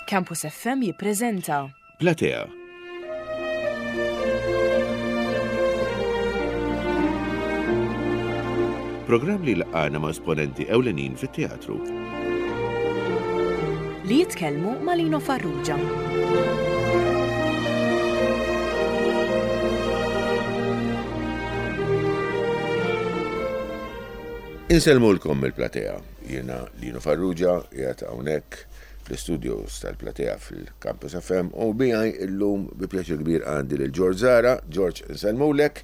Campus FM jippreżenta. Platea. Programm li laqgħana ma' esponenti ewlenin fit-teatru. Li jitkellmu ma' Lino Farrugia. Insellmulkom mill-platea. Jiena Lino Farrugia, qiegħed hawnhekk fl-istudios tal-platea fil-Campus FM u miegħi illum bi pjaċir kbir għandi lil George Zara. George, insellmulek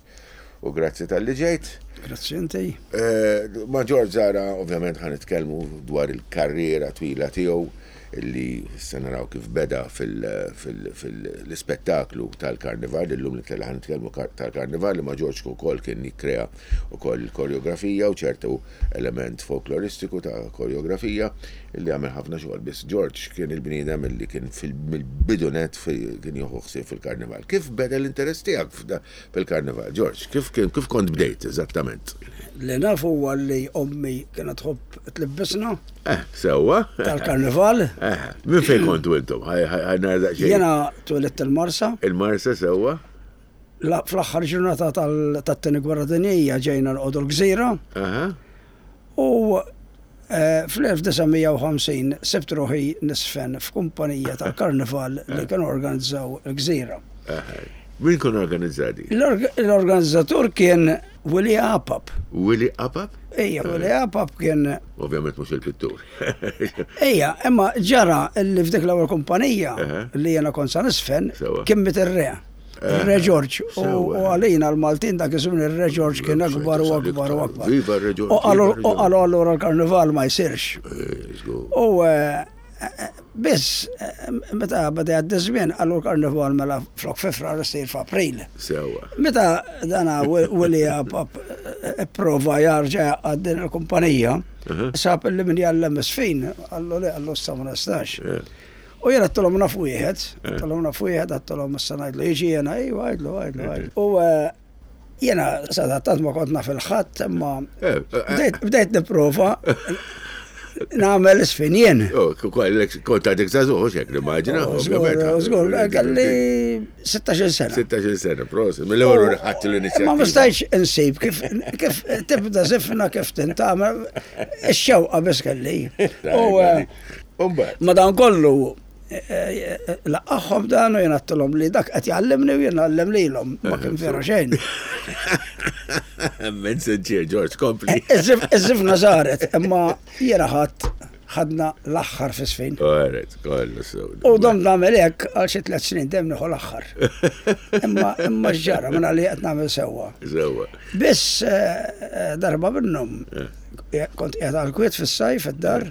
u grazzi talli ġejt. Grazzi inti. Eh, ma' George Zara ovvjament ħa nitkellmu dwar il-karriera twila tiegħu illi se naraw kif beda fil-ispettaklu tal-Karnival, illum li ħa nitkellmu tal-Karnival li ma' George ukoll kien jikkrea ukoll il-koreografija u ċertu element folkloristiku ta' koreografija illi għamel ħafna xogħol biss George kien il-bniedem illi kien mill-bidu nett kien jieħu ħsieb fil-Karnival. Kif beda l-interess tiegħek fil-Karnival, George? Kif kif kont bdejt eżattament? Li naf huwa li ommi kienet tħobb tlibbisna. Eh, sewwa. Tal-karnival. Eh, minn fejn kontu intom? Jena twelidt il-Marsa. Il-Marsa sewwa. Fl-aħħar ġurnata tat-tieni gwerra dinjija ġejna nqogħdu l-gżira. U eh, fl-1950 sibt ruħi nisfen f'kumpanija tal-karnival li kienu organizzaw il-gżira. Min kien organizzati? L-organizzatur kien Willy Apap. Willy Apap? Ejja, Willy Apap kien. Ovvjament mhux il-pittur. Ejja, imma ġara li f'dik l-ewwel kumpanija li jiena kont sa nisfen kien miet ir-re. Ir-Re George. U għalina l-Maltin dak iż-żmien ir-Re George kien akbar u akbar u akbar. Viva r-Re George. U qalu allura l-karnival ma jsirx. U eh, Biss, meta beda jgħaddi żmien qalu l-karnival mela flok fi Frar isir f'April. Sewwa. Meta dana Willie Apap ipprova jarġa' jgħaqqad din il-kumpanija, sab li min jgħallem isfin, qallu le qallu issa ma nistax. U jien għedtilhom naf wieħed, għedtilhom naf wieħed, għedtilhom issa ngħidlu jiġi jiena, iva għidlu, għidlu, għidlu. U Jiena sadattant ma kont naf il-ħadd, imma eh, eh. bdejt nipprova nagħmel isfin jien. Oh, kont għadek żagħżugħ hekk nimmaġina. Oh, żgur, kelli 16 sena. 16 sena, prosit. Mill-ewwel ħadd l-inizjattiva. Ma stajtx insib kif kif tibda żifna kif tintagħmel ix-xewqa biss kelli. U eh, madankollu Laqqagħhom dan u jien għedtilhom li dak qed jgħallimni u jien ngħallem lilhom. Ma kien vera xejn. Minn sinċier, George, kompli. Iż-żifna saret, imma jiena ħadd ħadna l-aħħar fi sfin. Għaret, kollu sew. U dom nagħmel hekk għal xi tliet snin dejjem nieħu l-aħħar. Imma imma x'ġara minn għalli qed nagħmel sewwa. Sewwa. Biss eh, eh, darba minnhom eh. Kont qiegħed għall-kwiet fis-sajf id-dar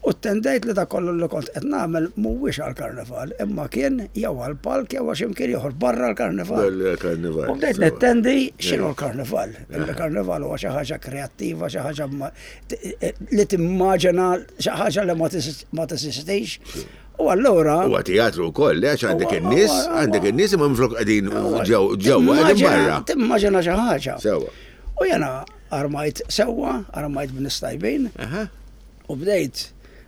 u ttendejt li dak kollu li kont qed nagħmel mhuwiex għall-karnival, imma kien jew għall-palk jew għal xi mkien ieħor barra l-karnival. U bdejt nittendi x'inhu l-karnival. Il-karnival huwa xi ħaġa kreattiva, xi ħaġa li timmaġina xi ħaġa li ma teżistix. U allura. Huwa teatru wkoll, għax għandek in-nies, għandek in-nies imma minflok qegħdin ġewwa qegħdin barra. Timmaġina xi ħaġa. Sewwa. U jiena Armajt sewwa, armajt b'nies tajbin u bdejt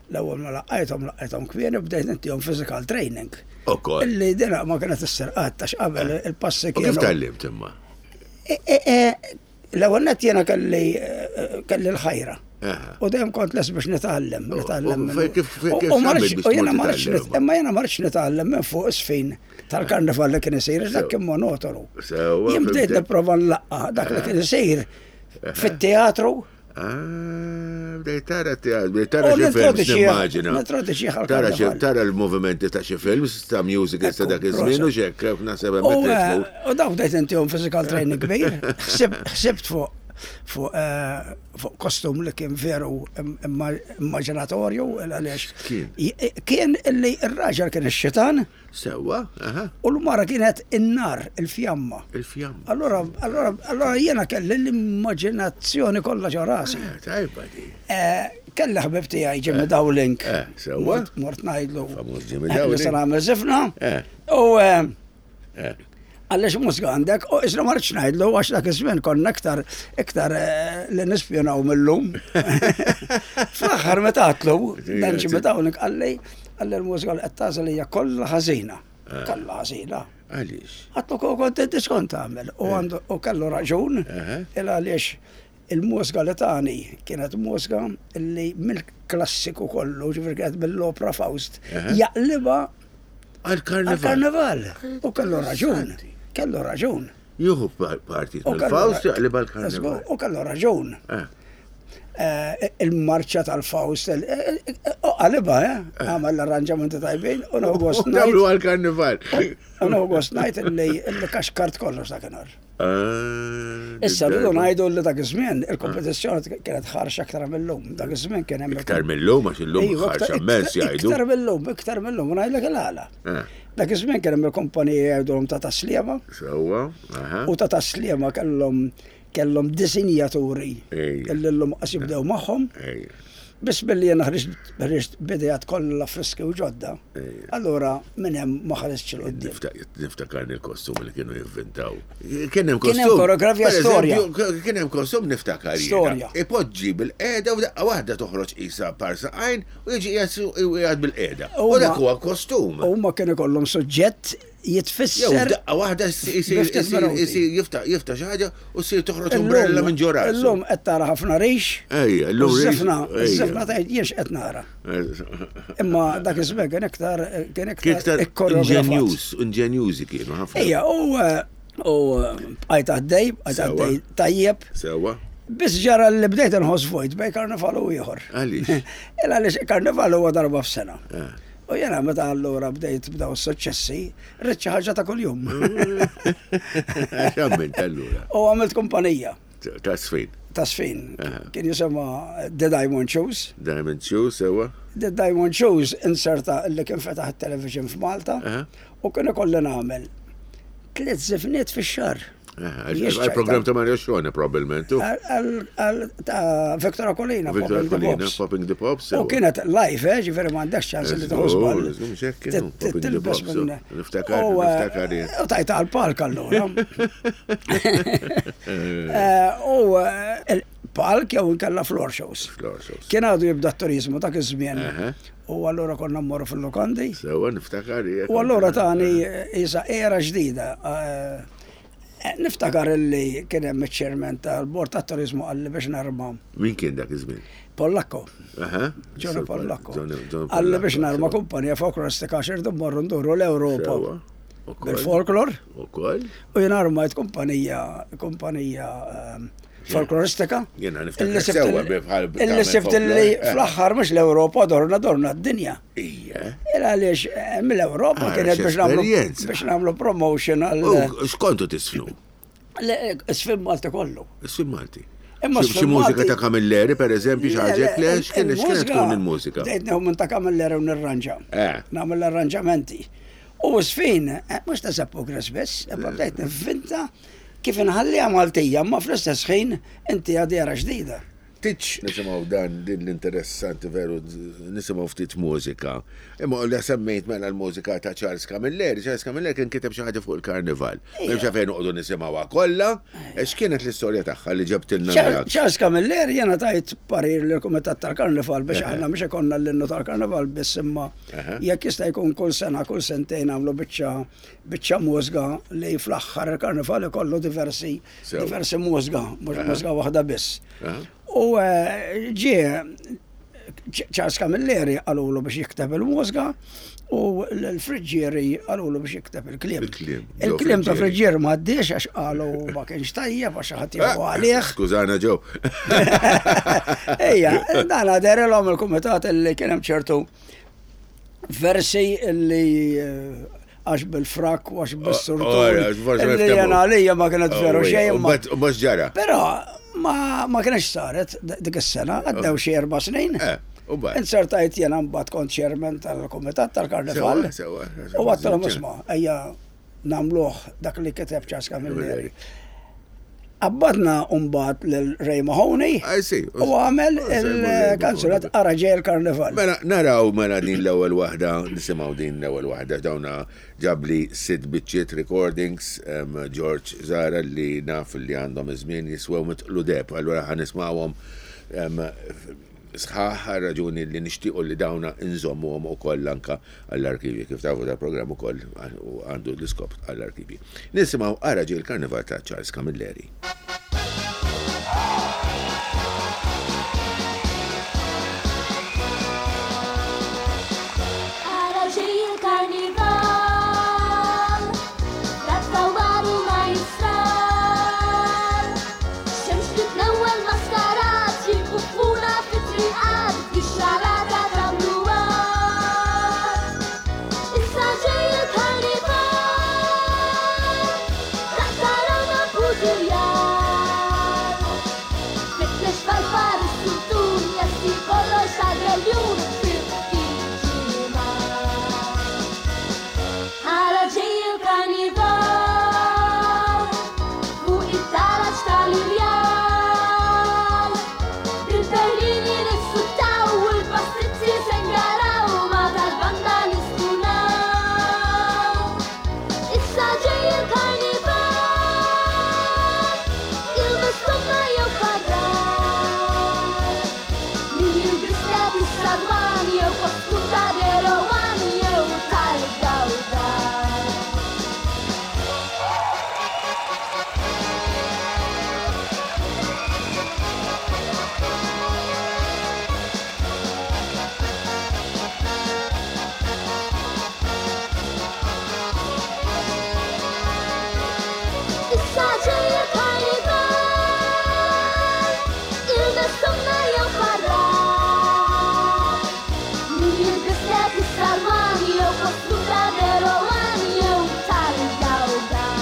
l-ewwel ma laqqajthom laqqajthom kmieni u bdejt intihom physical training. Ukoll. Illi dina ma kienet issir qatt għax qabel il-passi kienu. Kif tgħallimt imma? E, e, e, l-ewwel nett jiena kelli kelli l-ħajra. U dejjem kont les biex nitgħallem, nitgħallem. U jiena ma rridx imma jiena ma rridx nitgħallem minn fuq isfin. tal-karnival li kien isir, dak kien monotonu. Jien bdejt nipprova nlaqqa dak li kien isir fit-teatru. Ah, bdejt tara teatru, bdejt tara xi films nimmaġina. Tara xi tara l-movimenti ta' xi films ta' musicals ta' dak iż-żmien u x'hekk naħseb hemmhekk. Eh, u dawk bdejt intihom physical training kbir, ħsibt fuq fuq eh, fuq kostum li kien veru immaġinatorju għaliex kien illi r-raġel kien ix-xitan Sewwa, aha. U l-mara kienet in-nar, il-fjamma. Il-fjamma. Allora, allora, allora jiena kelli l-immaġinazzjoni kollha ġo rasi. Eh, tajba di. Eh, kelli ħbib tiegħi Jimmy eh, Dowling. Eh, sewwa. Mort ngħidlu. Famuż Jimmy Dowling. Se nagħmel żifna. U Għaliex mużika għandek, u isra ma rridx ngħidlu għax dak iż-żmien konna iktar iktar eh, li nispjonaw millum. Fl-aħħar meta għatlu, dan Jimmy Dowling qalli. Qalli l-mużika li qed tagħżel hija kollha ħażina. Kollha ħażina. Għaliex? Għattu kont inti x'kont tagħmel u għandu u kellu raġun il għaliex il-mużika li tani kienet mużika li mill-klassiku kollu, ġifieri kienet mill-opra Faust, jaqlibha għall-karnival. U kellu raġun. Kellu raġun. Jieħu partit mill-Faust jaqlibha l-karnival. U kellu raġun. Il-marċa tal-Faust, u qalibha, għamel l-arranġamenti tajbin, u nieħu gost ngħid. Għamlu għall-karnival. U nieħu gost ngħid illi kaxkart kollox dakinhar. Issa rridu ngħidu li dak iż-żmien il-kompetizzjoni kienet ħarxa aktar mill-lum. Dak iż-żmien kien hemm. Iktar mill-lum għax illum ħarxa immens jgħidu. Iktar mill-lum, iktar mill-lum, u ngħidlek il-għala. Dak iż-żmien kien hemm il-kumpaniji jgħidulhom ta' Tasliema. Sewwa, aha. U ta' Tasliema kellhom kellhom disinjaturi illi llum qas jibdew magħhom. Biss billi jiena ħriġt b'idejat kollha friski u ġodda, allura minn hemm ma ħaristx 'il quddiem. Niftakarni l-kostum li kienu jivvintaw. Kien hemm kostum. Kien hemm koreografija storja. Kien hemm kostum niftakar jiena. Storja. Ipoġġi bil-qiegħda u daqqa waħda toħroġ qisha par saqajn u jiġi qiegħed bil-qiegħda. U dak huwa kostum. Huma kien ikollhom suġġett jitfisser. Jew daqqa waħda jsir jiftaħ jiftaħ xi ħaġa u ssir toħroġ umbrella minn ġo rasu. Illum qed tara ħafna rix. Ejja, illum rix. Żifna, żifna tgħid jien x'qed nara. Imma dak iż-żmien kien iktar kien iktar inġenjuż, inġenjużi kienu ħafna. Ejja, u u bqajt għaddej, bqajt għaddej tajjeb. Sewwa. Biss ġara li bdejt inħoss vojt bej karnival u ieħor. Għaliex? Il għaliex karnival huwa darba f'sena. U jena meta allura bdejt b'daw s-suċċessi, rrid xi ħaġa ta' kuljum. X'għamilt allura? U għamilt kumpanija. Ta' sfin. Ta' sfin. Kien jisimha The Diamond Shoes. Diamond Shoes, sewwa. The Diamond Shoes inserta li kien fetaħ it-television f'Malta u kien ikolli nagħmel tliet żifniet fix-xahar. Għal-program ta' Mario Xone, probabbilment. Għal ta' Victor Akolina. Victor Akolina, Popping the Pops. U kienet live, eh, ġifiri ma għandekx ċans li tħu żball. Popping the Pops. Niftakar, niftakar. U tajta għal-palk allura. U il-palk jew inkella floor shows. Floor shows. Kien għadu jibda t-turizmu dak iż-żmien. U allura konna mmorru fil-lukandi. Sewa, niftakar. U allura tani isa era ġdida. Niftakar illi kien hemm iċ-chairman tal-Bord tat-Turiżmu qalli biex narma. Min kien dak iż-żmien? Pollakko. Johnny Pollakko. Qalli biex narma kumpanija folkloristika għax irdu mmorru nduru l-Ewropa. Bil-folklor. Ukoll. U jien armajt kumpanija kumpanija ehm, folkloristika. Jiena niftakar sewwa bħal. Illi sibt illi fl-aħħar mhux l-Ewropa dorna dorna d-dinja. Ija. Il għaliex eh, mill-Ewropa ah, kienet biex nagħmlu biex nagħmlu promotion għal. X'kontu tisfnu? Sfin Malti kollu. Sfin Malti. Imma xi mużika ta' Camilleri per eżempju xi ħaġa le x'kien x'kienet tkun il-mużika? Bdejt nieħu minn ta' Camilleri u nirranġa. Eh. Nagħmel l-arranġamenti. U sfin, eh, mhux ta' Seppu biss, imma bdejt nivvinta kif inħalliha Maltija, ma fl-istess ħin inti għadira ġdida. Titx nisimgħu dan din l-interessanti veru nisimgħu ftit mużika. Imma li semmejt mela l-mużika ta' Charles Camilleri, Charles Camilleri kien kiteb xi ħaġa fuq il-karnival. M'hemmx għalfejn noqogħdu nisimgħuha kollha, x'kienet l-istorja tagħha li ġabtilna miegħek? Charles Camilleri jiena tajt parir lill-Kumitat tal-Karnival biex aħna mhux ikollna l-innu tal-Karnival biss imma jekk jista' jkun kull sena kull sentejn nagħmlu biċċa biċċa mużga li fl-aħħar il-karnival ikollu diversi diversi mużga, mhux mużga waħda biss. U eh, ġie Charles Camilleri qalulu biex jikteb il-mużga u l-Friġġieri qalulu biex jikteb il-kliem. Il-kliem ta' Friġġieri ma għaddiex għax qalu ma kienx tajjeb għax ħadd jieħu ah, għalih. Skużana ġew. Ejja, dan għaderilhom il-kumitat li kien hemm ċertu versi li eh, għax bil-frak u għax bis-surtur. Li jena għalija ma kienet oh, veru xejn. U mhux ġara. Però ma kienx saret dik is-sena, għaddew xi erba' snin. Eh, Insertajt jena mbagħad kont chairman tal-kumitat tal-karnival. U għattalhom isma' ejja nagħmluh dak li kiteb Charles Camilleri. Qabbadna mbagħad lil Ray Mahoney u għamel il-kanzunet Ara ġej il-Karnival. Mela naraw mela din l-ewwel waħda, nisimgħu din l-ewwel waħda dawna ġabli sitt biċċiet recordings George Zara li naf li għandhom iż-żmien jiswew mitqlu deheb, allura ħa nismgħuhom. sħaħ għal raġuni li nixtiequ li dawna nżommuhom ukoll anka għall-arkivji. Kif tafu dal-programm ukoll għandu l-iskop għall-arkivji. Nisimgħu Ara Ġej il-Karnival ta' Charles Camilleri. Ara ġej il-karnival, rat-tawwar u majstral. Xemx titnewwel maskarat, jilkuffuna fit-triqat, bix-xalata tagħmluha. Issa ġej il-karnival, taqtarawna putiljar. Fittex farfar is-sultun, lesti kollox għal-reljun fi ftit ġimgħat. Ara ġej il-karnival, fuq it-taraġ tal-irjal. Bil-berlini nissuttaw u l-pastizzi se ngaraw ma tal-banda nistunaw. Issa ġej il-karnival, ilbes tomna jew kwadrat. Min jilbis lebis sadwan jew kostum ta' derowan jew tal-gawdar. Issa ġej il-karnival, ilbes tomna jew kwadrat. Min jilbis lebis salman jew kostum ta' derowan jew tal-gawdar.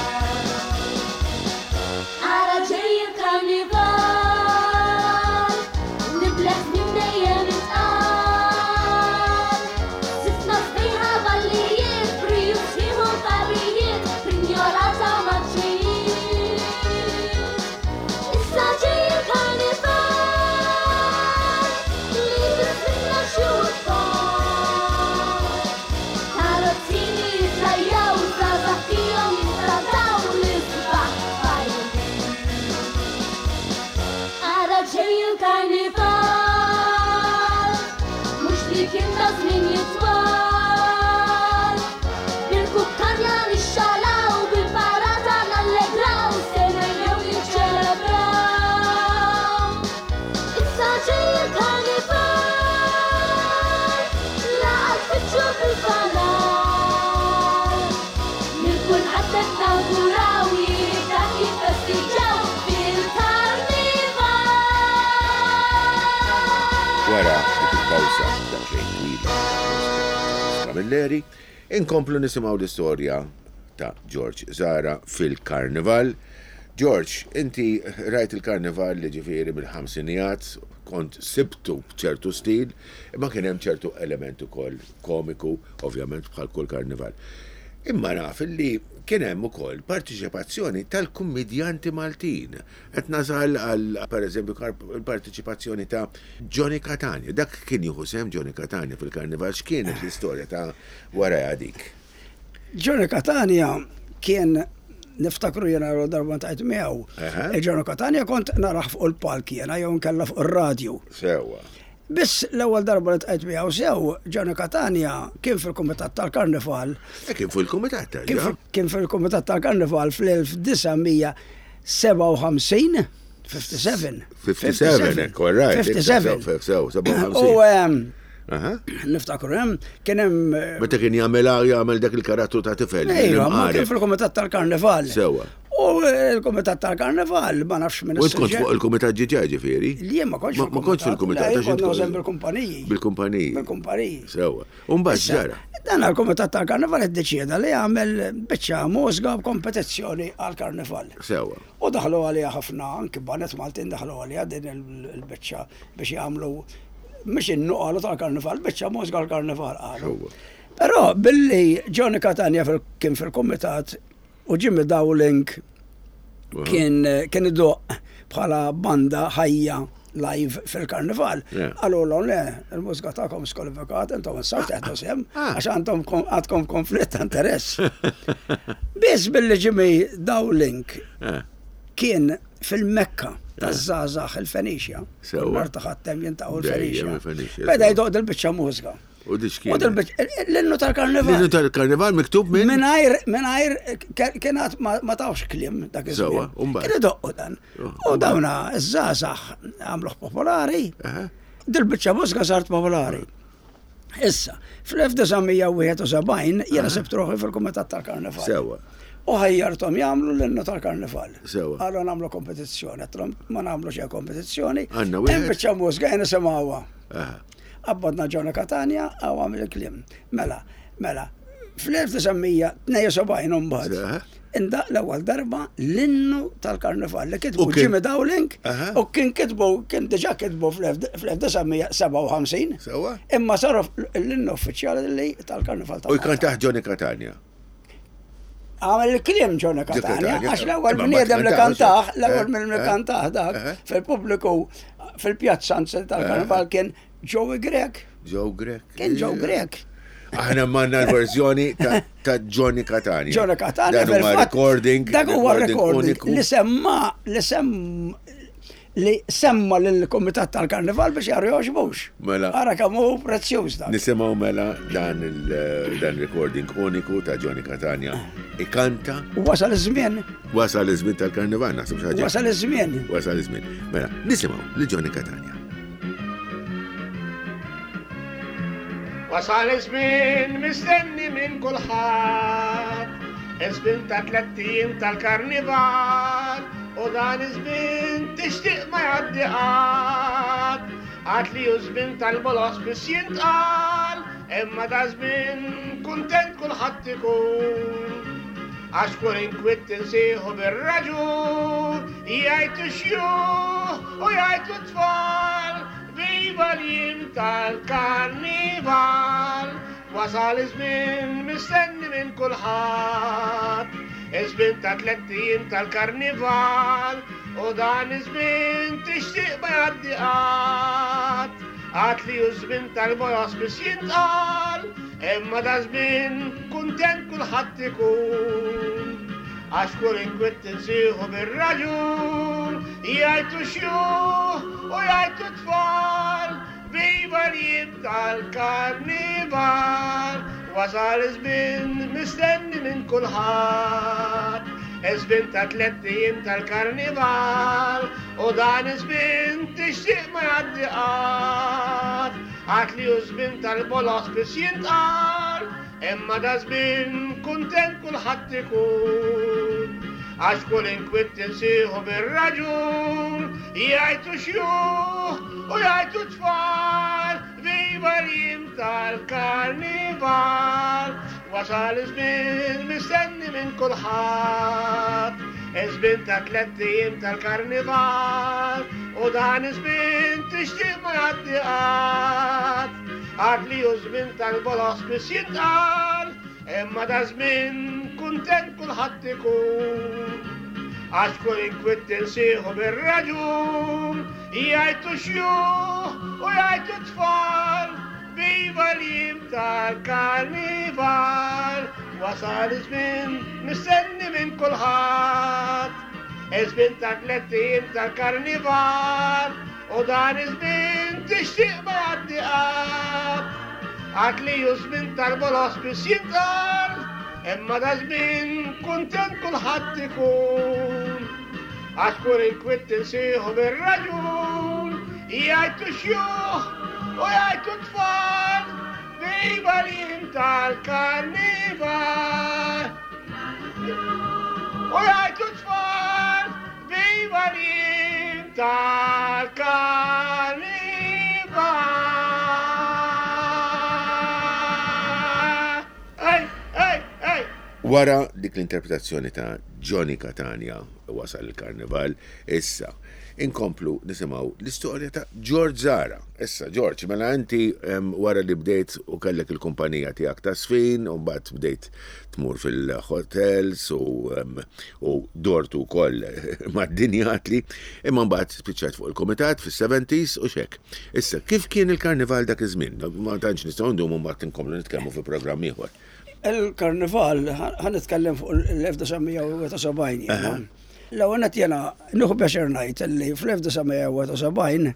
Ara ġej il-karnival, nibleħ minn dejjem itqal. Sifna sbieħa ballijiet, briju sħiħu fabrijiet, prinjolata maċċijiet. Issa ġej il-karnival, li bismitna xi tfal. Karozzini jitlajjaw, żgħażagħ fihom jintrataw l-isbaħ tfajliet. Ara ġej il-karnival, mhux li kien ta' żmien jitwal. Bil-kukkanja nixxalaw, bil-parata nallegraw, se nejjew niċċelebraw. Issa ġej il-karnival, laqgħat fittxu fil-fanar. Lil kulħadd qed nawguraw jibda jiffestiġġaw fil-karnival. Wara dik il-pawsa daqsxejn twila Camilleri, inkomplu nisimgħu l-istorja ta' George Zara fil-Karnival. George, inti rajt il-Karnival li ġifieri mill-ħamsinijat, kont sibtu b'ċertu stil, imma kien hemm ċertu element ukoll komiku, ovvjament bħal kull karnival. Imma naf li kien hemm ukoll partiċipazzjoni tal-kummidjanti Maltin. Qed nasal għal pereżempju il-partiċipazzjoni ta' Johnny Catania. Dak kien jieħu sehem Johnny Catania fil-karnival, x'kienet l-istorja ta' warajha dik? Johnny Catania kien niftakru jena l darba tajt miegħu. Johnny Catania kont naraħ fuq il-palk jena jew nkella fuq ir-radju. Sewwa. Biss l-ewwel darba li tqajt miegħu sew, Johnny Catania kien fil-Kumitat tal-Karnival. Kien fil-Kumitat tal Kien fil-Kumitat tal-Karnival fl-1957. 57. 57, all right. 57. U niftakru hemm kien hemm Meta kien jagħmel jagħmel dak il-karattru ta' tifel. Ejwa, ma kien fil-Kumitat tal-Karnival. Sewwa. U l-Kumitat tal-Karnival ma nafx minn U kont fuq il-Kumitat ġiġa ġifieri? Li ma kontx Ma kontx fil-Kumitat. Le, kont naħdem bil-kumpaniji. Bil-kumpaniji. Bil-kumpaniji. Sewwa. U mbagħad ġara. Dan il-Kumitat tal-Karnival iddeċieda li jagħmel biċċa mużika b'kompetizzjoni għall-Karnival. Sewwa. U daħlu għaliha ħafna anki banet Maltin daħlu għaliha din il-biċċa biex jagħmlu mhux innu qalu tal-Karnival, biċċa mużika għall-Karnival qalu. Però billi Johnny Catania kien fil-Kumitat u Jimmy Dowling kien kien idoq bħala banda ħajja live fil-karnival. Għallu l le, il-mużika tagħkom skwalifikat, intom issa teħdu sehem, għax għandhom għandkom konflitt ta' interess. Biss billi Jimmy Dowling Eh. Kien fil-Mekka taż-żgħażagħ il-Fenixja. Sewwa. Nhar ta' Ħadd hemm jintaqgħu Dejjem l-Fenixja. il-Fenixja, Beda sewwa. jdoq dil-biċċa mużika. U di x'kien? U dil-biċċa l-innu tal-karnival. L-innu tal-karnival miktub minn? Minajr, minajr, kienet ma tawx kliem dak iż-żmien. Sewwa, u mbagħad? Kien idoqqu dan. Oh, U dawna iż-żgħażagħ għamluh popolari. Aha. Dil-biċċa mużika saret popolari. Issa, fl-1971 jiena sibt ruħi fil-Kumitat tal-Karnival. Sewwa. U ħajjarthom jagħmlu l-innu tal-Karnival. Sewwa. Qalu nagħmlu kompetizzjoni, għedtilhom ma nagħmlu xejn kompetizzjoni. Għandna Hemm wieħed. biċċa mużika jien nisimgħuha. Aha. Qabbadna Johnny Catania għaw għamil il-kliem. Mela, mela, fl-1972 mbagħad. Aha. Indaq l-ewwel darba l-innu tal-karnival li U kitbu kien- Jimmy Dowling Aha. u kien kitbu kien diġà kitbu fl-1957. Sewwa. Imma saru l-innu uffiċjali li tal-karnival U ta' Malta. jkantaħ Johnny Catania. Għamel il-kliem Johnny Catania, Catania, għax l-ewwel imma bniedem li mbagħad kantaħ, kantaħ, l-ewwel eh, minn li eh, kantaħ dak eh. fil-pubbliku fil-pjazza anzi tal-karnival kien Joey Grek. Joe Grek. Kien Joe Grek. Aħna manna l-verżjoni ta' ta' Johnny Catania. Johnny Catania Dan huwa fil-fatt, recording. Dak huwa recording uniku. li semma li sem li semma lill-Kumitat tal-Karnival biex jaru joġbux. Mela. Ara kemm hu prezzjuż dak. Nisimgħu mela dan il dan recording uniku ta' Johnny Catania. Ikanta Wasal iż-żmien, wasal iż-żmien tal-karnival, naħseb xi ħaġa. wasal iż-żmien. Wasal iż-żmien. Mela, nisimgħu li Johnny Catania. Wasal iż-żmien mistenni minn kulħadd, iż-żmien ta' tlett ijiem tal-karnival, u dan iż-żmien tixtieq ma jgħaddi qatt. Għad li hu żmien tal-bolos biss jintqal, imma da żmien kuntent kulħadd ikun. Għax kull inkwiet tinsieħu bir-raġun, jgħidu xjuħ u jgħidu tfal, viva l-jiem tal-karnival. Wasal iż-żmien mistenni minn kulħadd, iż-żmien ta' tlett ijiem tal-karnival, u dan iż-żmien tixtieq ma jgħaddi qatt. Għad li hu żmien tal-boros biss jintqal, imma da żmien kuntent kulħadd ikun. Għax kull inkwiet tinsieħu bir-raġun, jgħidu xjuħ u jgħidu tfal, viva l-jiem tal-karnival. Wasal iż-żmien mistenni minn kulħadd, iż-żmien ta' tlett ijiem tal-karnival, u dan iż-żmien tixtieq ma jgħaddi qatt. Għad li hu żmien tal-bolos biss jintqal, imma da żmien kuntent kulħadd ikun. Għax kull inkwiet tinsieħu bir-raġun, jgħidu xjuħ u jgħidu tfal, viva l-jiem tal-karnival. Wasal iż-żmien mistenni minn kulħadd, iż-żmien ta' tlett ijiem tal-karnival, u dan iż-żmien tixtieq ma jgħaddi qatt. Għad li hu żmien tal-bolos biss jintqal, imma da żmien kuntent kulħadd ikun. Għax kull inkwiet tinsieħu bir-raġun, jgħidu xjuħ u jgħidu tfal, viva l-jiem tal-karnival. Wasal iż-żmien mistenni minn kulħadd, iż-żmien ta' tlett ijiem tal-karnival, u dan iż-żmien tixtieq ma jgħaddi qatt. Għad li hu żmien tal-bolos biss jintqal, imma da żmien kuntent kulħadd ikun. Għax kull inkwiet tinsieħu bir-raġun, jgħidu xjuħ u jgħidu tfal, viva l-jiem tal-karnival. U jgħidu tfal, viva l-jiem tal-karnival. Ej, ej, ej! Wara dik l-interpretazzjoni ta' Johnny Catania wasal il-karnival, issa inkomplu nisimgħu l-istorja ta' George Zara. Issa George, mela inti wara li bdejt u kellek il-kumpanija tiegħek ta' sfin, u mbagħad bdejt tmur fil-hotels u dortu wkoll mad-dinja għatli, imma mbagħad spiċċajt fuq il-kumitat fis-70s u xek. Issa, kif kien il-karnival dak iż-żmien? Ma tantx nistgħu ndumu mbagħad inkomplu nitkellmu fi programm ieħor. Il-karnival, ħa nitkellem fuq l-1971 jiena. L-ewwel nett jiena nieħu pjaċir ngħid li fl-1971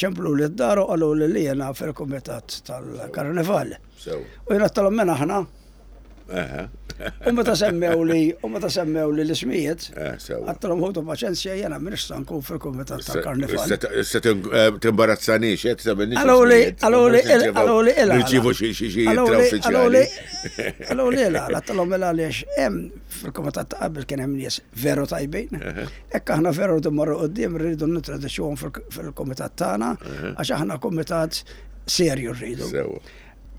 ċempluli d-dar u qaluli li jiena fil-kumitat tal-Karnival. U jiena għedtilhom min aħna? U meta semmewli, u meta semmewli l-ismijiet, għedtilhom ħudu paċenzja jiena m'iniex se nkun fil-kumitat tal-Karnival. Issa timbarazzanix, qed tagħmilni. Qaluli, qaluli, qaluli il Nirċievu xi xi xi ittra uffiċjali. Qaluli il għedtilhom il għaliex hemm fil-kumitat ta' qabel kien hemm nies veru tajbin. Hekk aħna veru rridu mmorru quddiem rridu nintroduċuhom fil-kumitat tagħna għax aħna kumitat serju rridu.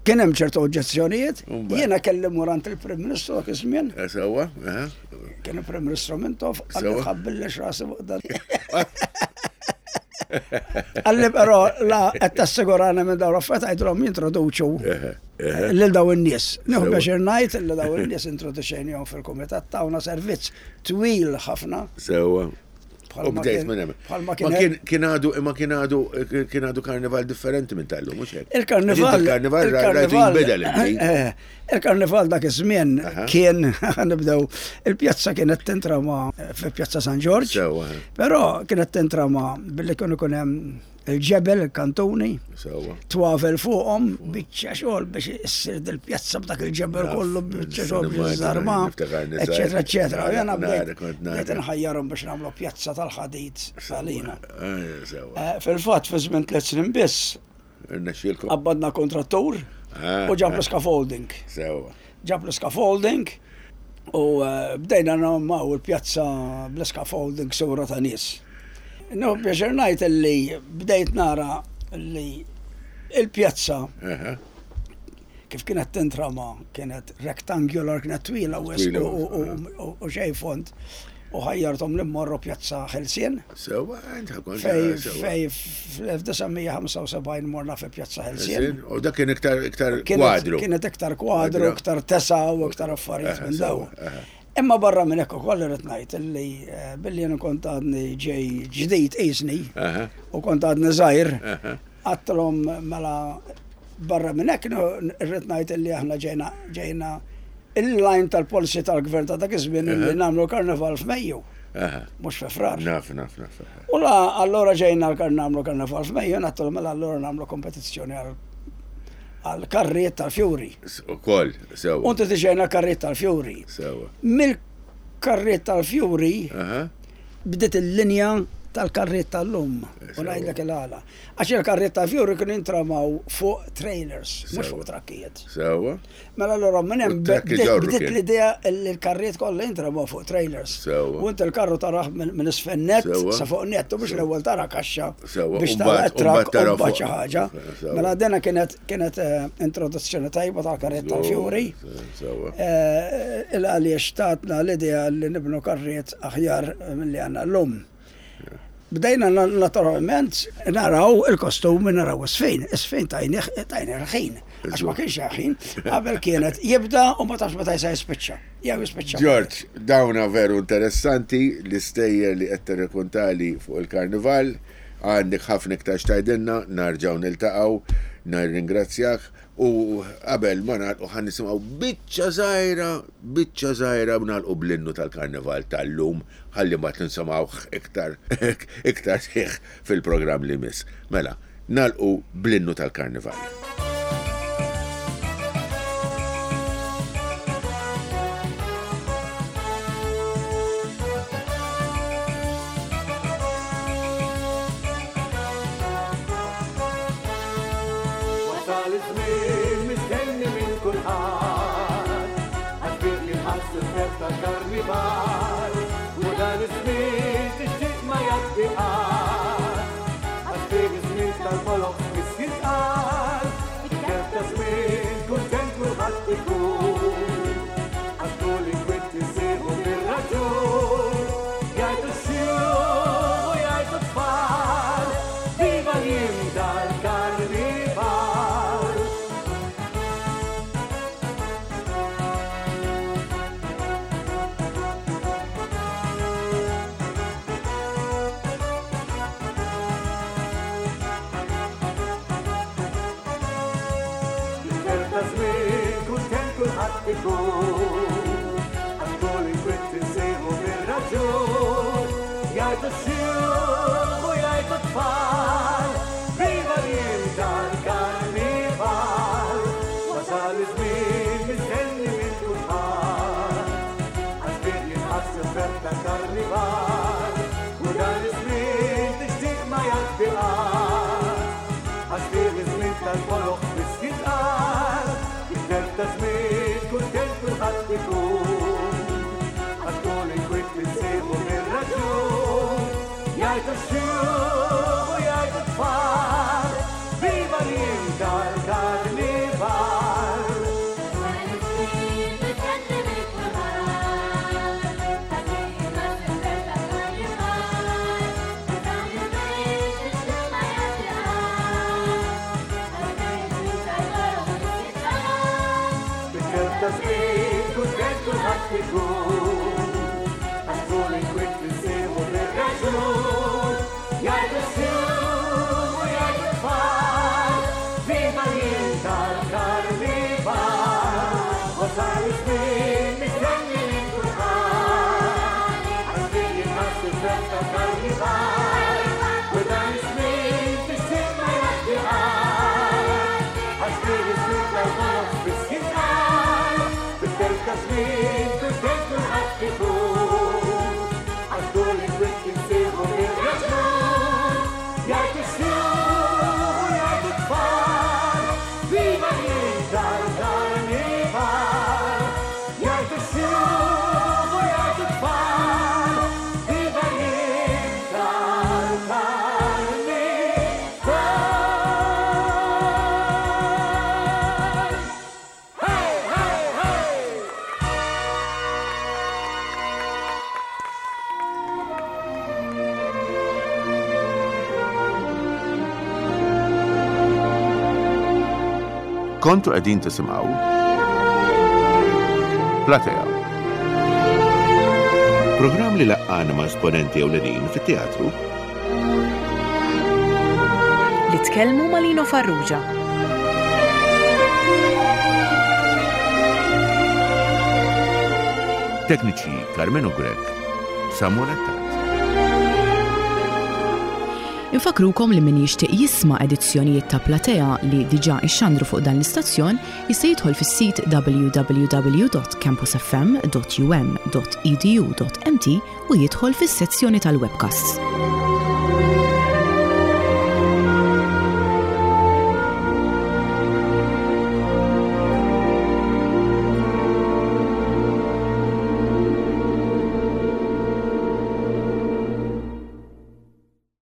Kien hemm ċertu oġġezzjonijiet, jiena kelli mmur għand il-Prim Ministru dak iż-żmien. Eh, sewwa, eh. Kien il-Prim Ministru Mintoff, qalli tħabbillix rasi fuq dan. Qalli però la qed tassigurani minn dawn l-affarijiet għidilhom jintroduċu lil dawn in-nies. Nieħu pjaċir ngħid li dawn in-nies introduċejnihom fil-kumitat tawna servizz twil ħafna. Sewwa. U bdejt minn hemm. Ma kien kien għadu imma kien għadu kien għadu karnival differenti minn tal-lum, mhux hekk. Il-karnival. Il-karnival rajtu jinbidel inti. Eh, eh, il-karnival dak iż-żmien kien nibdew il-pjazza kienet tintrama fi Pjazza San Ġorġ. Però kienet tintrama billi kienu ikun hemm il-ġebel, il-kantuni, twavel fuqhom, biċċa xogħol biex issir dil-pjazza b'dak il-ġebel kollu, biċċa xogħol biex żarma, eċetera, eċetera. Jena bdejt nħajjarhom biex nagħmlu pjazza tal-ħadid għalina. Eh, fil-fatt, fi żmien tliet snin biss, qabbadna kontrattur ah, u ġab l-scaffolding. Ġab l-scaffolding u eh, bdejna nagħmlu il-pjazza bl-scaffolding sura ta' nies. Nieħu pjaċir ngħid li bdejt nara li il-pjazza kif kienet tintrama kienet rectangular, kienet twila u xejn fond u ħajjarthom li mmorru Pjazza Ħelsien. Sewwa, Fej fej fl-1975 morna fi Pjazza Ħelsien. U dak kien iktar iktar kwadru. Kienet iktar kwadru, iktar tesa u iktar affarijiet minn dawn. Imma barra minn hekk ukoll irrid ngħid illi billi jien kont għadni ġej ġdid qisni u kont għadni żgħir, għadtilhom mela barra minn hekk irrid ngħid illi aħna ġejna ġejna in-line tal-policy tal-gvern ta' dak iż-żmien illi nagħmlu l-karnival f'Mejju. Mhux fi Frar. Naf, naf, naf. U la allura ġejna nagħmlu karnival f'Mejju, ngħidtilhom mela allura nagħmlu kompetizzjoni għal għall-karrijiet tal-fjuri. Ukoll, sewwa. U introduċejna l-karrijiet tal-fjuri. Sewwa. Mill-karrijiet tal-fjuri bdiet il-linja tal-karrijiet tal-lum. U ngħidlek il-għala. Għax il-karrijiet tal-fjuri kienu jintramaw fuq trailers, mhux fuq trakkijiet. Sewwa. Mela allura minn hemm bdiet l-idea li l-karrijiet kollha jintramaw fuq trailers. U inti l-karru tarah minn isfel nett sa fuq nett u mhux l-ewwel tara kaxxa biex tara t-trakk u mbagħad xi ħaġa. Mela dina kienet kienet introduzzjoni tajba tal-karrijiet tal-fjuri. Il għaliex tatna l-idea li nibnu karrijiet aħjar milli għandna llum. Bdejna naturalment naraw il-kostumi, naraw is-sfin. Is-sfin tajnih tajnih il-ħin. Għax ma kienx hemm ħin. Qabel kienet jibda u ma tafx meta se jispiċċa. Jew jispiċċa. George, dawna veru interessanti l-istejjer li qed tirrikuntali fuq il-karnival. Għandek ħafna iktar x'tgħidilna, narġgħu niltaqgħu, nirringrazzjak. U qabel ma nagħlqu ħa nisimgħu biċċa żgħira, biċċa żgħira u nagħlqu bl-innu tal-Karnival tal-lum ħalli mbagħad nisimgħuh iktar iktar sħiħ fil-programm li jmiss. Mela, nagħlqu bl-innu tal-Karnival. Wasal iż-żmien mistenni minn kulħadd, għax fih jinħass il-ferħ tal-karnival, u dan iż-żmien tixtieq ma jgħaddi qatt, għax fih iż-żmien tal-boloq spiss jitqal, Kemm ta' żmien kuntent kulħadd ikun, għax kull inkwiet insieħu bir-raġun, jgħidu x-xjuħ u jgħidu t-tfal, viva l-jiem tal-karnival. Fil-ferħ ta' żmien kuntent kulħadd ikun, għax kull inkwiet insejħu bir-raġun. Jgħidu x-xjuħ u jgħidu t-tfal, viva l-jiem tal-karnival. Wasal iż-żmien mistenni minn kulħadd, għax fih jinħass il-ferħ tal-karnival. U dan iż-żmien tixtieq ma jgħaddi qatt, għax fih iż-żmien tal-boloh biss jintqal. It-telf ta' żmien kuntent kulħadd ikun, għax kull inkwiet insibu bir-raġun. Jgħidu x-xjuħ u jgħidu t-tfal, viva l-jiem tal-karnival. Bit-telf ta' żmien kuntent kulħadd ikun, għax kull inkwiet insibu bir-raġun. Jgħidu x-xjuħ u jgħidu t-tfal, viva l-jiem tal-karnival. Wasal iż-żmien mistenni minn kulħadd, għax fih jinħass il-ferħ tal-karnival. U dan iż-żmien tixtieq ma jgħaddi qatt, għax fih iż-żmien tal-boloh biss jintqal. Bit-telf ta' żmien kuntent kulħadd ikun, għax kull inkwiet insibu bir-raġun. Jgħidu x-xjuħ u jgħidu t-tfal, viva l-jiem tal-karnival. Jgħidu x-xjuħ u jgħidu t-tfal, viva l-jiem tal-karnival. Hey, hey, hey! Kontu qegħdin tisimgħu Platea. Programm li laqqana ma' esponenti ewlenin fit-teatru. Li tkellmu ma' Lino Farrugia. Tekniċi Carmenu Grech, Samuel Attard. Infakrukom li min jixtieq jisma' edizzjonijiet ta' Platea li diġà ixxandru fuq dan l-istazzjon jista' jidħol fis-sit www.campusfm.um.edu.mt u jidħol fis-sezzjoni tal-webcasts.